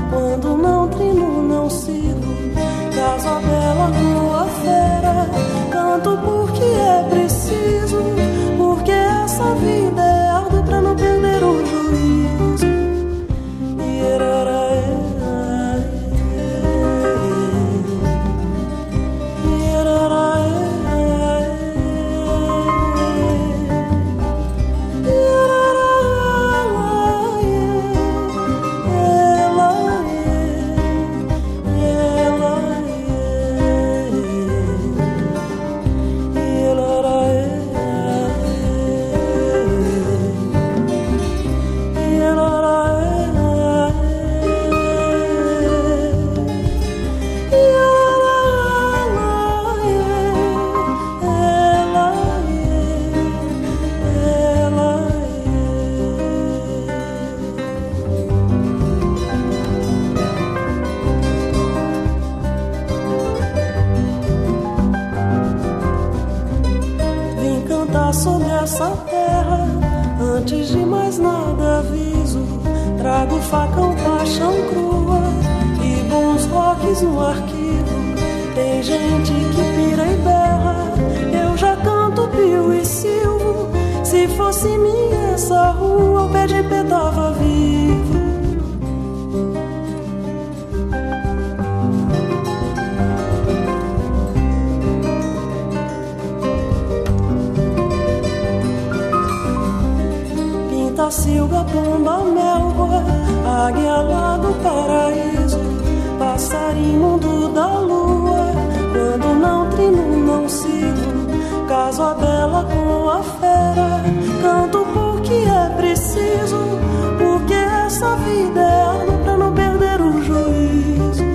quando não trino não sirvo, casa bela, lua fera, essa terra. Antes de mais nada aviso, trago facão, paixão crua e bons rocks no arquivo. Tem gente que pira e berra, eu já canto pio e silvo. Se fosse minha essa rua, o pé de pé tava vivo. Silga, pomba, melva, águia lá do paraíso, passarinho mundo da lua, quando não trino não sigo, caso a bela com a fera, canto porque é preciso, porque essa vida é arma pra não perder o juízo.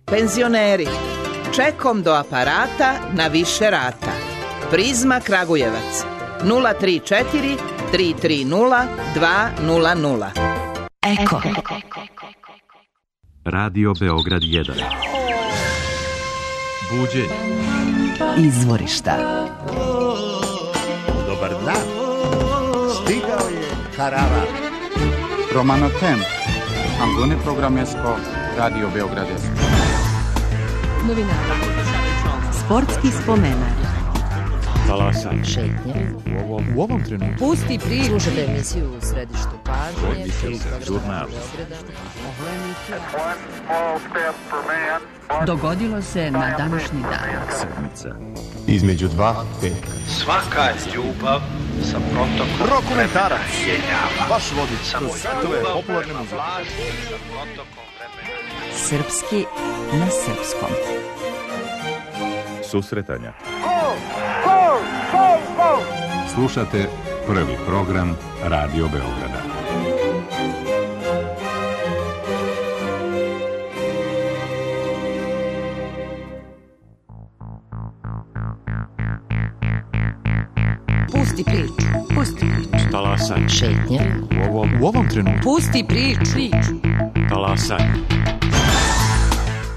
Penzioneri, čekom do aparata na više rata. Prizma Kragujevac 034 330 200. Eko. Radio Beograd 1. Buđenje. Izvorišta. Dobar dan. Stigao je karavan. Romano Temp. Angone Programesko. Radio Beograd 1. Novinara. Sportski spomenar. Talasan. Šetnje. U ovom trenutku. Pusti priču. Slušajte emisiju u središtu pažnje. Žurnal. Dogodilo se na današnji dan. Sedmica. Između dva petka. Svaka ljubav sa protokom Rokomentarac. Vaš vodič. Samo svetove popularne muzike. sa protokom vremena. Srpski na srpskom. Susretanja. Slušate prvi program Radio Beograda. Pusti priču. Pusti priču. Talasan. Šetnje. U ovom trenutku. Pusti priču. Talasan.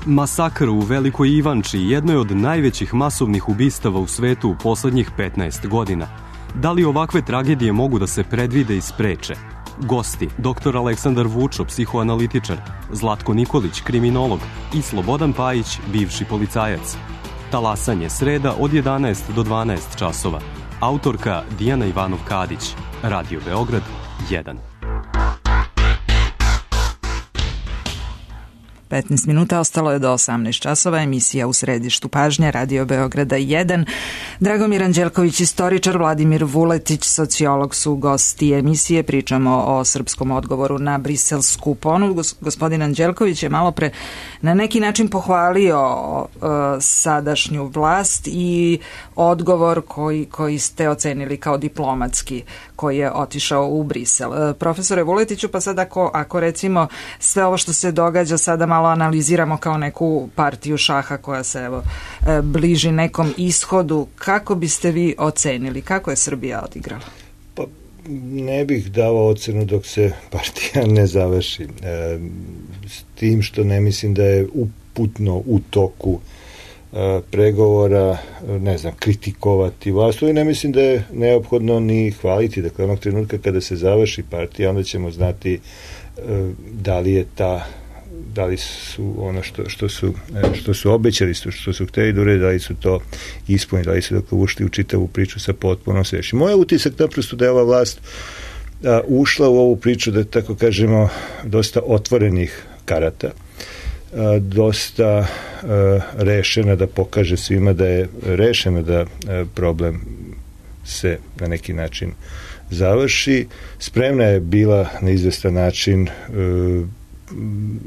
Masakr u Velikoj Ivanči jedno je od najvećih masovnih ubistava u svetu u poslednjih 15 godina. Da li ovakve tragedije mogu da se predvide i spreče? Gosti, dr. Aleksandar Vučo, psihoanalitičar, Zlatko Nikolić, kriminolog i Slobodan Pajić, bivši policajac. Talasanje sreda od 11 do 12 časova. Autorka Dijana Ivanov-Kadić. Radio Beograd 1. 15 minuta, ostalo je do 18 časova, emisija u središtu pažnje, Radio Beograda 1. Dragomir Anđelković, istoričar, Vladimir Vuletić, sociolog su gosti emisije. Pričamo o srpskom odgovoru na briselsku ponudu. Gospodin Anđelković je malo pre na neki način pohvalio sadašnju vlast i odgovor koji ste ocenili kao diplomatski, koji je otišao u Brisel. Profesore Vuletiću, pa sad ako recimo sve ovo što se događa sada malo analiziramo kao neku partiju šaha koja se bliži nekom ishodu, kako biste vi ocenili? Kako je Srbija odigrala? Pa ne bih dao ocenu dok se partija ne završi. S tim što ne mislim da je uputno u toku pregovora, ne znam, kritikovati vlast, i ne mislim da je neophodno ni hvaliti. Dakle, onog trenutka kada se završi partija, onda ćemo znati da li su ono što su obećali, što su hteli da urede, da li su to ispunili, da li su dakle ušli u čitavu priču sa potpuno svešćim. Moj utisak naprosto da je ova vlast ušla u ovu priču, da tako kažemo, dosta otvorenih karata. dosta rešena da pokaže svima da je rešeno da problem se na neki način završi. Spremna je bila na izvestan način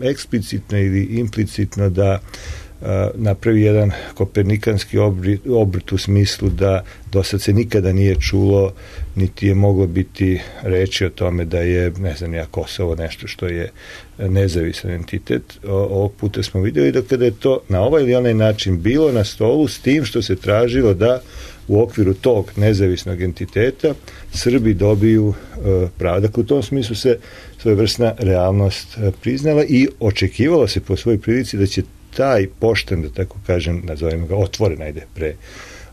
eksplicitno ili implicitno da napravi jedan kopernikanski obrt u smislu da do sad se nikada nije čulo, niti je moglo biti reči o tome da je, ne znam ja, Kosovo nešto što je nezavisan entitet. Ovog puta smo vidjeli da kada je to na ovaj ili onaj način bilo na stolu, s tim što se tražilo da u okviru tog nezavisnog entiteta Srbi dobiju pravo. Dakle, u tom smislu se svojevrsna realnost priznala i očekivalo se po svojoj prilici da će taj pošten, da tako kažem, nazovimo ga otvoren, ajde, pre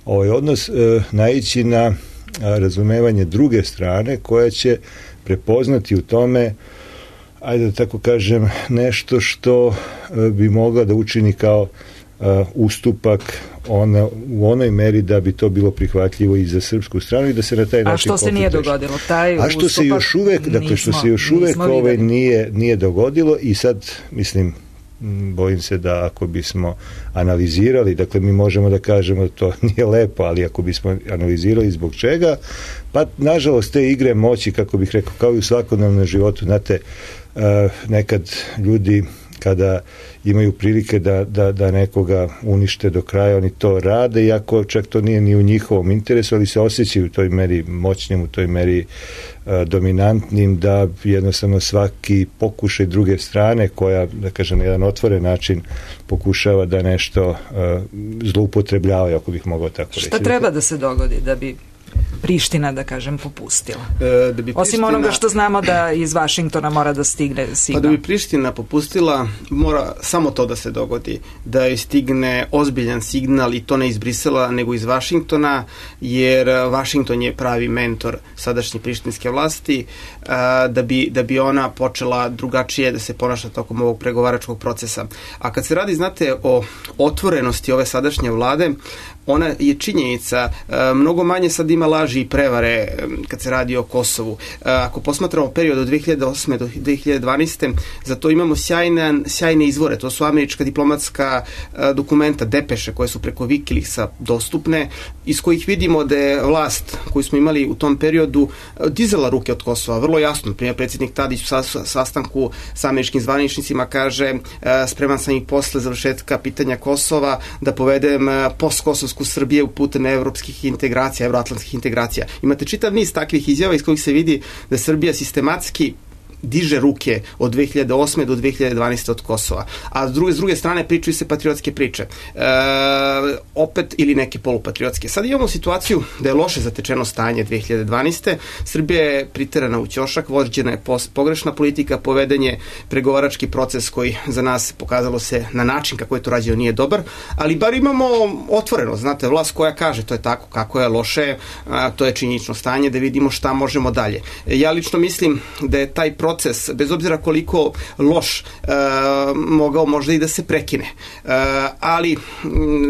ovaj odnos, naići na razumevanje druge strane koja će prepoznati u tome, ajde da tako kažem, nešto što bi mogla da učini kao ustupak u onoj meri da bi to bilo prihvatljivo i za srpsku stranu i da se na taj način... A što se nije dogodilo? Što se još uvek, dakle, što se još uvek nije dogodilo i sad, mislim, bojim se da ako bismo analizirali, dakle mi možemo da kažemo da to nije lepo, ali ako bismo analizirali zbog čega, pa nažalost te igre moći, kako bih rekao, kao i u svakodnevnom životu, znate, nekad ljudi kada imaju prilike da nekoga unište do kraja, oni to rade, iako čak to nije ni u njihovom interesu, ali se osjećaju u toj meri moćnim, u toj meri dominantnim, da jednostavno svaki pokušaj druge strane koja, da kažem, na jedan otvoren način pokušava da nešto zloupotrebljava, ako bih mogao tako reći. Šta treba da se dogodi da bi Priština, da kažem, popustila? Osim onoga što znamo da iz Vašingtona mora da stigne signal. Pa da bi Priština popustila, mora samo to da se dogodi, da joj stigne ozbiljan signal, i to ne iz Brisela, nego iz Vašingtona, jer Vašington je pravi mentor sadašnje prištinske vlasti, da bi ona počela drugačije da se ponaša tokom ovog pregovaračkog procesa. A kad se radi, znate, o otvorenosti ove sadašnje vlade, ona je činjenica, mnogo manje sad ima laži i prevare kad se radi o Kosovu. Ako posmatramo period od 2008. do 2012. za to imamo sjajne izvore. To su američka diplomatska dokumenta, depeše koje su preko Wikileaksa dostupne, iz kojih vidimo da je vlast koju smo imali u tom periodu dizala ruke od Kosova. Vrlo jasno. Primjer, predsjednik Tadić u sastanku sa američkim zvaničnicima kaže: spreman sam i posle završetka pitanja Kosova da povedem postkosovsku Srbije putem evropskih integracija, evroatlantskih integracija. Imate čitav niz takvih izjava iz kojih se vidi da Srbija sistematski diže ruke od 2008. do 2012. od Kosova. A s druge strane pričaju se patriotske priče. Opet ili neke polupatriotske. Sad imamo situaciju da je loše zatečeno stanje 2012. Srbija je priterana u ćošak, vođena je pogrešna politika, poveden je pregovarački proces koji za nas pokazalo se na način kako je to rađeno nije dobar, ali bar imamo otvoreno, znate, vlast koja kaže to je tako kako je loše, to je činjenično stanje, da vidimo šta možemo dalje. Ja lično mislim da je taj proces, bez obzira koliko loš, mogao možda i da se prekine. Ali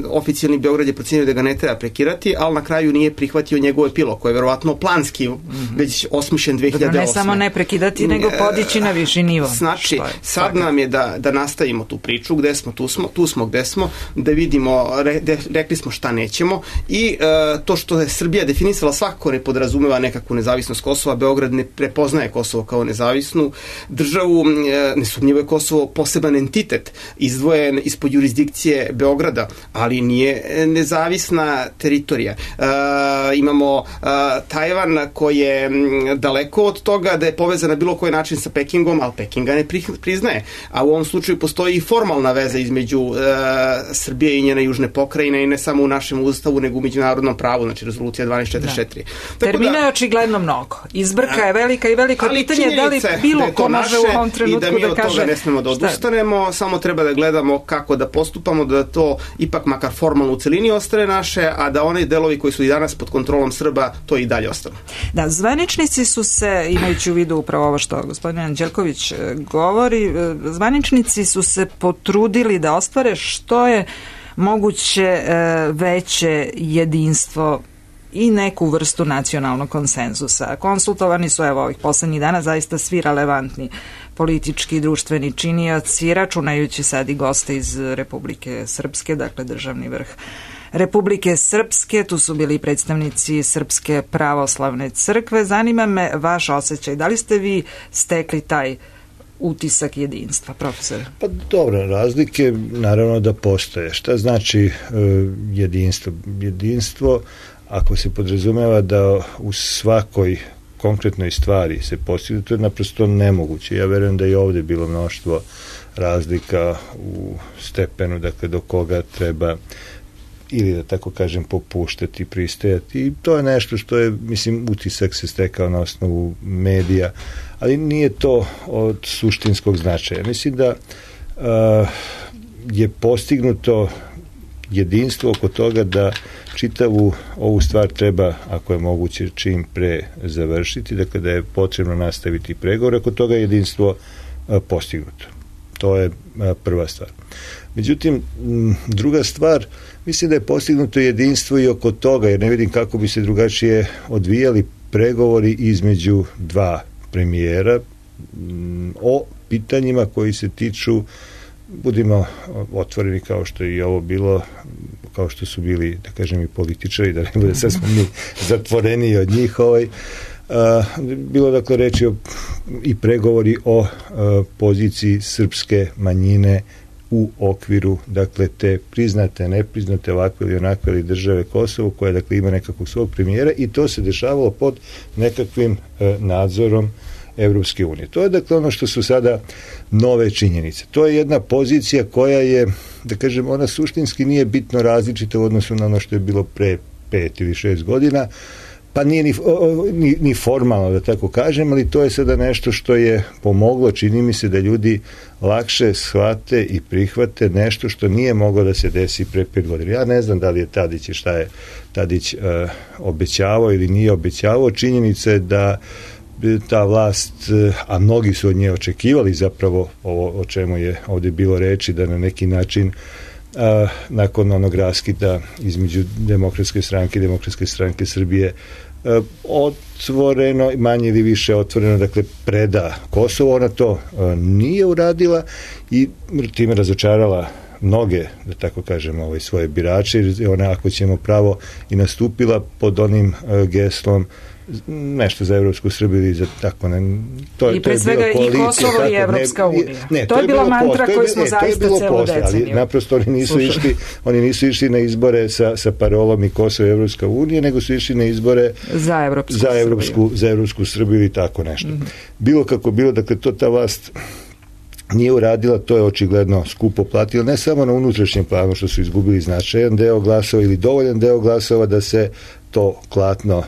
oficijalni Beograd je procenio da ga ne treba prekirati, ali na kraju nije prihvatio njegov epilog, koji je verovatno planski već osmišljen 2008. Ne samo ne prekidati, nego podići na viši nivo. Znači, sad nam je da nastavimo tu priču, gde smo, tu smo gde smo, da vidimo, rekli smo šta nećemo, i to što je Srbija definisala svakako ne podrazumeva nekakvu nezavisnost Kosova. Beograd ne prepoznaje Kosovo kao nezavisnu državu, nesumnjivo je Kosovo poseban entitet, izdvojen ispod jurisdikcije Beograda, ali nije nezavisna teritorija. Imamo Tajvan koji je daleko od toga da je povezan na bilo koji način sa Pekingom, ali Pekinga ne priznaje. A u ovom slučaju postoji i formalna veza između Srbije i njene južne pokrajine, i ne samo u našem ustavu, nego u međunarodnom pravu, znači rezolucija 1244. Termina je očigledno mnogo. Izbrka je velika i veliko pitanje da li bilo ko može u ovom trenutku da kaže... I da mi od toga ne smemo da odustanemo, samo treba da gledamo kako da postupamo, da to ipak makar formalno u celini ostane naše, a da oni delovi koji su i danas pod kontrolom Srba to i dalje ostanu. Da, zvaničnici su se, imajući u vidu upravo ovo što gospodin Anđelković govori, zvaničnici su se potrudili da ostvare što je moguće veće jedinstvo i neku vrstu nacionalnog konsenzusa. Konsultovani su evo ovih poslednjih dana zaista svi relevantni politički i društveni činioci, računajući sad i goste iz Republike Srpske, dakle državni vrh Republike Srpske, tu su bili predstavnici Srpske pravoslavne crkve. Zanima me vaš osjećaj, da li ste vi stekli taj utisak jedinstva, profesore? Pa dobro, razlike naravno da postoje. Šta znači jedinstvo? Jedinstvo, ako se podrazumeva da u svakoj konkretnoj stvari se postigne, to je naprosto nemoguće. Ja verujem da je ovde bilo mnoštvo razlika u stepenu, dakle do koga treba ili da tako kažem popuštati, pristajati, i to je nešto što je, mislim, utisak se stekao na osnovu medija, ali nije to od suštinskog značaja. Mislim da je postignuto jedinstvo oko toga da čitavu ovu stvar treba, ako je moguće, čim pre završiti, dakle da je potrebno nastaviti pregovore, oko toga je jedinstvo postignuto. To je prva stvar. Međutim, druga stvar, mislim da je postignuto jedinstvo i oko toga, jer ne vidim kako bi se drugačije odvijali pregovori između dva premijera o pitanjima koji se tiču, budimo otvoreni kao što je i ovo bilo, kao što su bili, da kažem, i političari, da ne bude sad smo mi zatvoreni od njih, bilo dakle reči i pregovori o poziciji srpske manjine u okviru, dakle, te priznate, nepriznate, ovakve ili onakve ili države Kosovo, koja, dakle, ima nekakvog svog premijera, i to se dešavalo pod nekakvim nadzorom Evropske unije. To je, dakle, ono što su sada nove činjenice. To je jedna pozicija koja je, da kažem, ona suštinski nije bitno različita u odnosu na ono što je bilo pre 5 ili 6 godina, pa nije ni formalno, da tako kažem, ali to je sada nešto što je pomoglo, čini mi se, da ljudi lakše shvate i prihvate nešto što nije moglo da se desi pre 5 godina. Ja ne znam da li je Tadić i šta je Tadić obećavao ili nije obećavao. Činjenica je da ta vlast, a mnogi su od nje očekivali zapravo ovo o čemu je ovde bilo reči, da na neki način nakon onog raskida između Demokratske stranke Srbije otvoreno, manje ili više otvoreno, dakle, preda Kosovo. Ona to nije uradila i time razočarala mnoge, da tako kažemo, svoje birače, jer ona, ako ćemo pravo, i nastupila pod onim geslom nešto za Evropsku Srbiju i za tako i pre svega i Kosovo i Evropska unija. To je bila mantra koju smo zaista celu deceniju. Ali naprosto oni nisu išli na izbore sa parolom i Kosovo i Evropska unija, nego su išli na izbore za Evropsku Srbiju i tako nešto. Bilo kako bilo, dakle, to ta vlast nije uradila, to je očigledno skupo platilo, ne samo na unutrašnjem planu što su izgubili značajan deo glasova ili dovoljan deo glasova da se to klatno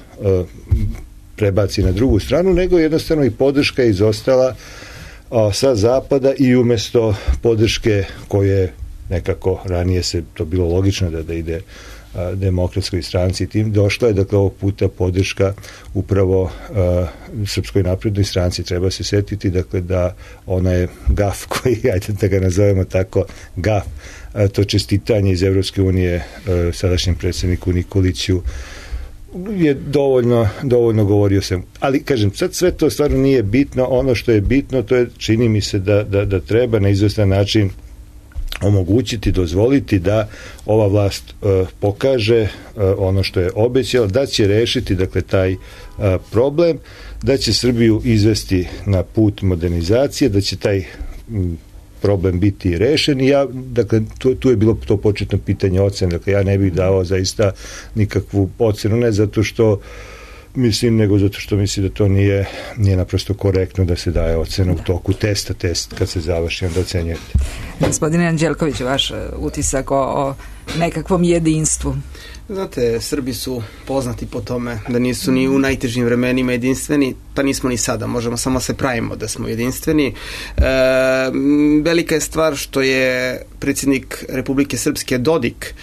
prebaci na drugu stranu, nego jednostavno i podrška je izostala sa zapada, i umesto podrške koje nekako ranije se to bilo logično da ide Demokratskoj stranci, tim došla je, dakle, ovog puta podrška upravo Srpskoj naprednoj stranci. Treba se setiti, dakle, da ona je gaf koji, ajde da ga nazovemo tako, gaf, to čestitanje iz Evropske unije sadašnjem predsjedniku Nikoliću je dovoljno govorio sam. Ali, kažem, sad sve to stvarno nije bitno. Ono što je bitno, to je, čini mi se da treba na izvestan način omogućiti, dozvoliti da ova vlast pokaže ono što je obećala, da će rešiti, dakle, taj problem, da će Srbiju izvesti na put modernizacije, da će taj problem biti rešen. I ja, dakle, tu je bilo to početno pitanje ocene, dakle, ja ne bih dao zaista nikakvu ocenu, ne zato što mislim, nego zato što mislim da to nije naprosto korektno da se daje ocena u toku testa, kad se završi, onda ocenjujete. Gospodine Anđelković, vaš utisak o nekakvom jedinstvu? Znate, Srbi su poznati po tome da nisu ni u najtežim vremenima jedinstveni, pa nismo ni sada, možemo samo se pravimo da smo jedinstveni. Velika je stvar što je predsjednik Republike Srpske Dodik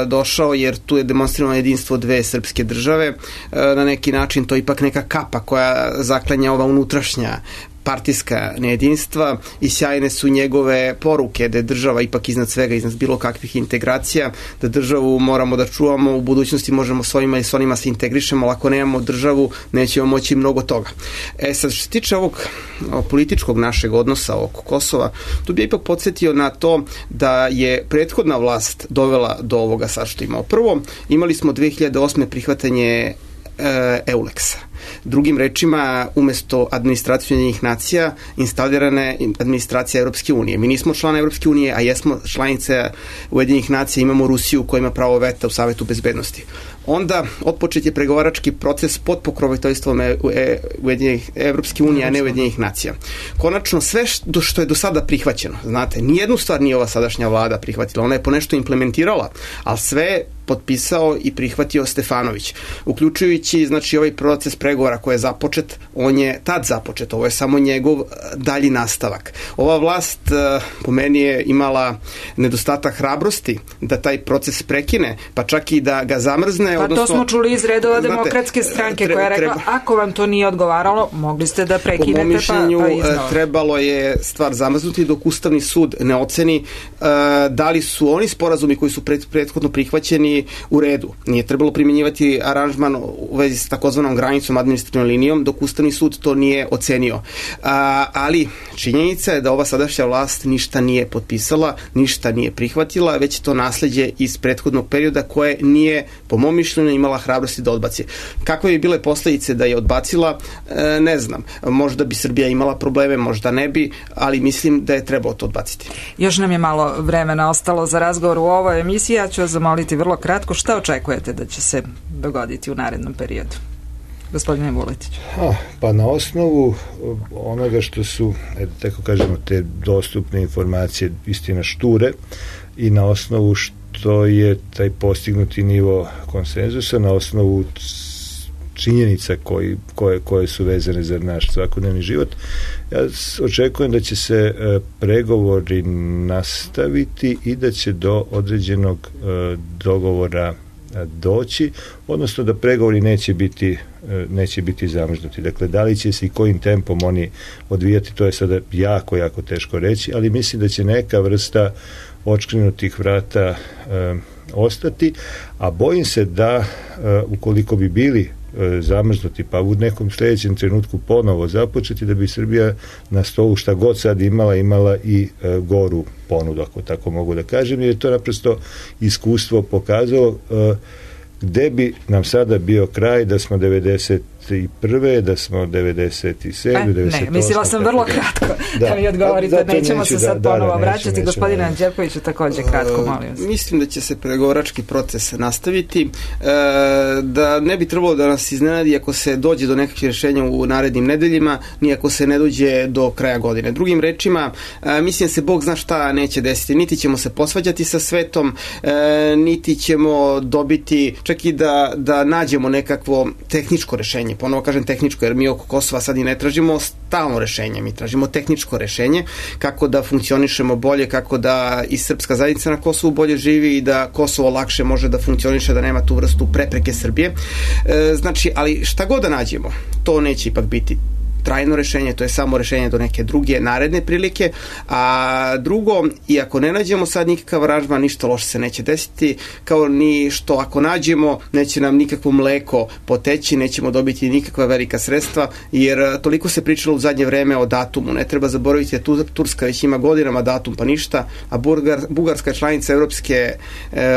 došao, jer tu je demonstrirano jedinstvo dve srpske države. Na neki način to je ipak neka kapa koja zaklanja ova unutrašnja partijska nejedinstva i sjajne su njegove poruke da je država ipak iznad svega, iznad bilo kakvih integracija, da državu moramo da čuvamo, u budućnosti možemo s ovima i s onima se integrišemo, ali ako nemamo državu nećemo moći mnogo toga. Sad, što se tiče ovog političkog našeg odnosa oko Kosova, tu bi ipak podsjetio na to da je prethodna vlast dovela do ovoga sad što imao. Prvo, imali smo 2008. prihvatanje EULEX-a. Drugim rečima, umesto administracije Ujedinjenih nacija, instalirana je administracija Europske unije. Mi nismo član Europske unije, a jesmo članice Ujedinjenih nacija, imamo Rusiju koja ima pravo veta u Savetu bezbednosti. Onda otpočet je pregovarački proces pod pokroviteljstvom Evropske unije, a ne Ujedinjenih nacija. Konačno, sve što je do sada prihvaćeno, znate, nijednu stvar nije ova sadašnja vlada prihvatila, ona je po nešto implementirala, ali sve potpisao i prihvatio Stefanović, uključujući, znači, ovaj proces pregovora koji je započet, on je tad započet, ovo je samo njegov dalji nastavak. Ova vlast po meni je imala nedostatak hrabrosti da taj proces prekine, pa čak i da ga zamrzne. Pa to smo čuli iz redova Demokratske stranke koja je rekla, ako vam to nije odgovaralo, mogli ste da prekinete. Po mom mišljenju trebalo je stvar zamrznuti dok Ustavni sud ne oceni da li su oni sporazumi koji su prethodno prihvaćeni u redu. Nije trebalo primjenjivati aranžman u vezi s takozvanom granicom, administrativnom linijom, dok Ustavni sud to nije ocenio. Ali činjenica je da ova sadašnja vlast ništa nije potpisala, ništa nije prihvatila, već je to nasleđe iz prethodnog perioda koje nije, po mom mišljenju, imala hrabrosti da odbaci. Kakve bi bile posledice da je odbacila, ne znam. Možda bi Srbija imala probleme, možda ne bi, ali mislim da je trebalo to odbaciti. Još nam je malo vremena ostalo za razgovor u ovoj emisiji. Ja ću vas zamoliti vrlo kratko, šta očekujete da će se dogoditi u narednom periodu? Gospodine Vuletić. Pa na osnovu onoga što su, tako kažemo, te dostupne informacije, istina šture, i na osnovu što je taj postignuti nivo konsenzusa, na osnovu činjenica koje su vezane za naš svakodnevni život, ja očekujem da će se pregovori nastaviti i da će do određenog dogovora doći, odnosno da pregovori neće biti zamrznuti. Dakle, da li će se i kojim tempom oni odvijati, to je sada jako teško reći, ali mislim da će neka vrsta odškrinutih vrata ostati, a bojim se da ukoliko bi bili zamrznuti, pa u nekom sljedećem trenutku ponovo započeti, da bi Srbija na stolu, šta god sad imala i goru ponudu, ako tako mogu da kažem, jer je to naprosto iskustvo pokazalo gde bi nam sada bio kraj da smo 91. da smo 97. 98. Ne, mislila sam vrlo kratko da mi odgovorite, nećemo se sad ponovo vraćati. Gospodine Anđelkoviću, također kratko, molim vas. Mislim da će se pregovarački proces nastaviti, da ne bi trebalo da nas iznenadi ako se dođe do nekakvih rješenja u narednim nedeljima, ni ako se ne dođe do kraja godine. Drugim rečima, mislim da se Bog zna šta neće desiti. Niti ćemo se posvađati sa svetom, niti ćemo dobiti, čak i da nađemo nekakvo tehničko rešenje. Ponovo kažem tehničko, jer mi oko Kosova sad i ne tražimo stalno rešenje, mi tražimo tehničko rešenje, kako da funkcionišemo bolje, kako da i srpska zajednica na Kosovu bolje živi i da Kosovo lakše može da funkcioniše, da nema tu vrstu prepreke Srbije. Znači, ali šta god da nađemo, to neće ipak biti trajno rešenje, to je samo rešenje do neke druge naredne prilike, a drugo, i ako ne nađemo sad nikakav aranžman, ništa loše se neće desiti, kao ni što ako nađemo, neće nam nikakvo mleko poteći, nećemo dobiti nikakva velika sredstva, jer toliko se pričalo u zadnje vreme o datumu, ne treba zaboraviti da Turska već ima godinama datum pa ništa, a Bugarska je članica Evropske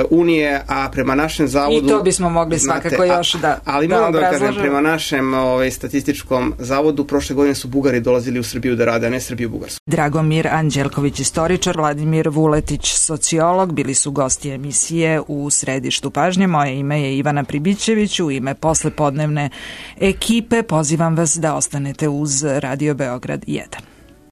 unije, a prema našem zavodu... I to bismo mogli svakako još da ali moram da kažem, prema našem statističkom zavodu, prošle godine su Bugari dolazili u Srbiju da rade, a ne Srbiju u Bugarsku. Dragomir Anđelković, istoričar, Vladimir Vuletić, sociolog, bili su gosti emisije u Središtu pažnje. Moje ime je Ivana Pribićević. U ime poslepodnevne ekipe pozivam vas da ostanete uz Radio Beograd 1.